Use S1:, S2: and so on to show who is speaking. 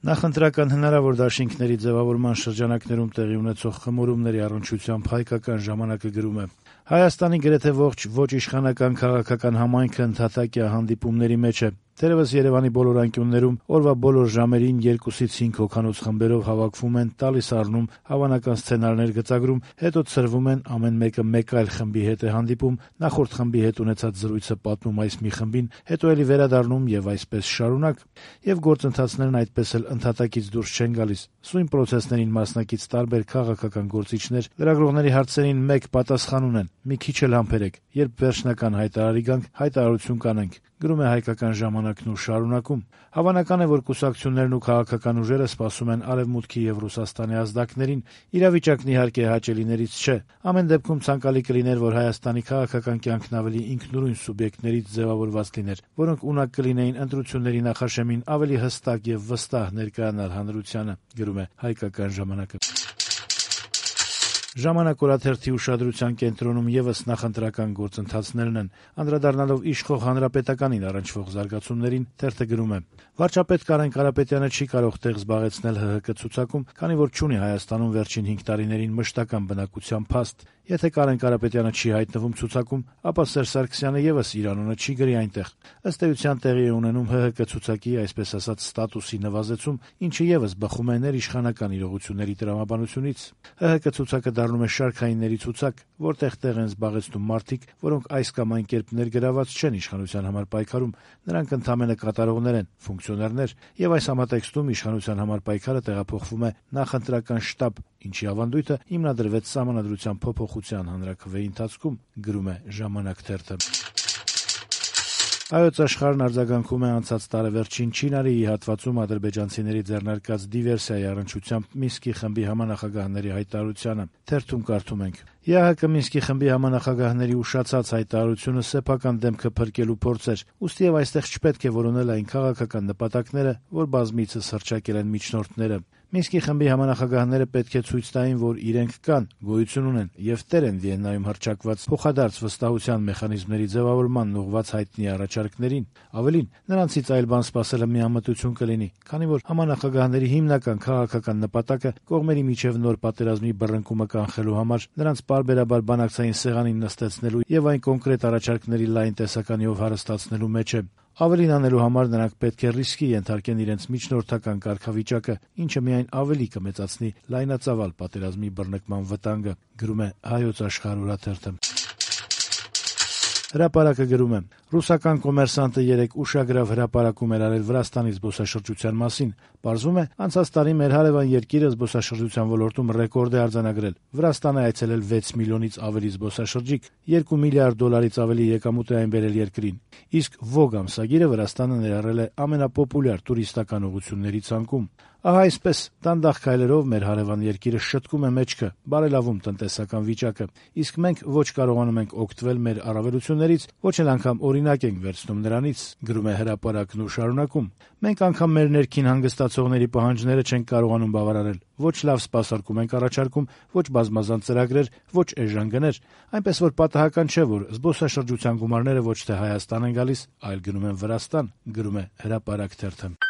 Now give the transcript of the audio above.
S1: Նախընտրական հնարավոր դաշինքների ձևավորման շրջանակներում տեղի ունեցող խմորումների առնչությամբ «Հայկական ժամանակ»-ը գրում է. Հայաստանի գրեթե ողջ ոչ իշխանական քաղաքական համայնքը ընդհատակյա հանդիպումների մեջ է։ Թերևս Երևանի բոլոր անկյուններում օրվա բոլոր ժամերին 2-ից 5 հոգանոց խմբերով հավաքվում են, տալիս առնում, հավանական սցենարներ գծագրում, հետո ցրվում են, ամեն մեկը մեկ այլ խմբի հետ է հանդիպում, նախորդ խմբի հետ ունեցած զրույցը պատմում այս մի խմբին, հետո էլի վերադառնում եւ այսպես շարունակ, եւ գործընթացներն այդպես էլ ընդհատակից դուրս չեն գալիս։ Սույն պրոցեսներին մասնակից տարբեր քաղաքական գործիչներ լրագրողների հարցերին մեկ պատասխան ունեն՝ մի քիչ էլ համբերեք, երբ վերջնական հայտարարի գանք, հայտարարություն կանենք։ Գրում է «Հայկական ժամանակն» ու շարունակում. Հավանական է, որ կուսակցություններն ու քաղաքական ուժերը սպասում են Արևմուտքի եւ Ռուսաստանի ազդակներին, իրավիճակն իհարկե հաճելիներից չէ։ Ամեն դեպքում ցանկալի կլիներ, որ Հայաստանի քաղաքական կյանքն ավելի ինքնուրույն սուբյեկտներից ձևավորված լիներ, որոնք ունակ կլինեին ընտրությունների նախաշեմին ավելի հստակ եւ վստահ ներկայանալ հանրությանը։ Գրում է «Հայկական ժամանակը»։ «Ժամանակ» օրաթերթի ուշադրության կենտրոնում եւս նախընտրական գործընթացներն են։ Անդրադառնալով իշխող Հանրապետականին առնչվող զարգացումներին, թերթը գրում է. Վարչապետ Կարեն Կարապետյանը չի կարող տեղ զբաղեցնել ՀՀԿ ցուցակում, քանի որ չունի Հայաստանում վերջին 5 տարիներին մշտական բնակության փաստ։ Եթե Կարեն Կարապետյանը չի հայտնվում ցուցակում, ապա Սերժ Սարգսյանը եւս իր անունը չի գրի այնտեղ։ Ըստ էության տեղի է ունենում ՀՀԿ ցուցակի, այսպես ասած, ստատուսի նվազեցում, ինչը եւս բխում է ներիշխանական իրողությունների տրամաբանությունից։ ՀՀԿ ցուցակը դառնում է շարքայինների ցուցակ, որտեղ տեղ են զբաղեցնում մարդիկ, որոնք այս կամ այն կերպ ներգրաված չեն իշխանության համար պայքարում, նրանք ընդամենը կատարողներ են, ֆունկցիոներներ, եւ այս համատեքստում իշխանության համար պայքարը տեղափոխվում է նախընտրական շտաբ, ինչի ավանդույթը հիմնադրվեց Սահմանադրության փոփոխության հանրաքվեի ընթացքում, գրում է «Ժամանակ» թերթը։ Հայոց Աշխարհն արձագանքում է անցած տարեվերջին Չինարիի հատվածում ադրբեջանցիների ձեռնարկած դիվերսիայի առնչությամբ Մինսկի խմբի համանախագահների հայտարարությանը։ Թերթում կարդում ենք. ԵԱՀԿ Մինսկի խմբի համանախագահների ուշացած հայտարարությունը սեփական դեմքը փրկելու փորձ էր, ուստի եւ այստեղ չպետք է որոնել այն քաղաքական նպատակները, որ բազմիցս հռչակել են միջնորդները։ Մինսկի խմբի համանախագահները պետք է ցույց տային, որ իրենք կան, գոյություն ունեն եւ տեր են Վիեննայում հռչակված փոխադարձ վստահության մեխանիզմների ձևավորման ուղղված հայտնի առաջարկներին։ Ավելին, նրանցից այլ բան սպասելը միամտություն կլինի, քանի որ համանախագահների հիմնական քաղաքական նպատակը կողմերի միջև նոր պատերազմի բռնկումը կանխելու համար նրանց պարբերաբար բանակցային սեղանին նստեցնելու եւ այն կոնկրետ առաջարկների լայն տեսականիով հարստացնելու մեջ է։ Ավելին անելու համար նրանք պետք է ռիսկի ենթարկեն իրենց միջնորդական կարգավիճակը, ինչը միայն ավելի կմեծացնի լայնածավալ պատերազմի բռնկման վտանգը, գրում է Հայոց Աշխարհ օրաթերթը։ Հրապարակը գրում է. Ռուսական կոմերսանտը երեկ ուշագրավ հրապարակում էր արել Վրաստանի զբոսաշրջության մասին։ Պարզվում է, անցած տարի մեր հարևան երկիրը զբոսաշրջության ոլորտում ռեկորդ է արձանագրել։ Վրաստան է այցելել 6 միլիոնից ավելի զբոսաշրջիկ, $2 միլիարդից ավելի եկամուտ է այն բերել երկրին։ Իսկ Vogue ամսագիրը Վրաստանը ներառել է ամենապոպուլյար տուրիստական ուղղությունների ցանկում։ Ահա այսպես, դանդաղ քայլերով մեր հարևան երկիրը շտկում է մեջքը, բարելավում տնտեսական վիճակը, իսկ մենք ոչ կարողանում ենք օգտվել մեր առավելություններից, ոչ էլ անգամ օրինակ ենք վերցնում նրանից, գրում է հրապարակն ու շարունակում։ Մենք անգամ մեր ներքին հանգստացողների պահանջները չենք կարողանում բավարարել, ոչ լավ սպասարկում ենք առաջարկում, ոչ բազմազան ծրագրեր, ոչ էժան գներ, այնպես որ պատահական չէ, որ զբոսաշրջության գումարները ոչ թե Հայաստան են գալիս, այլ գնում են Վրաստան, գրում է հրապարակ թերթը։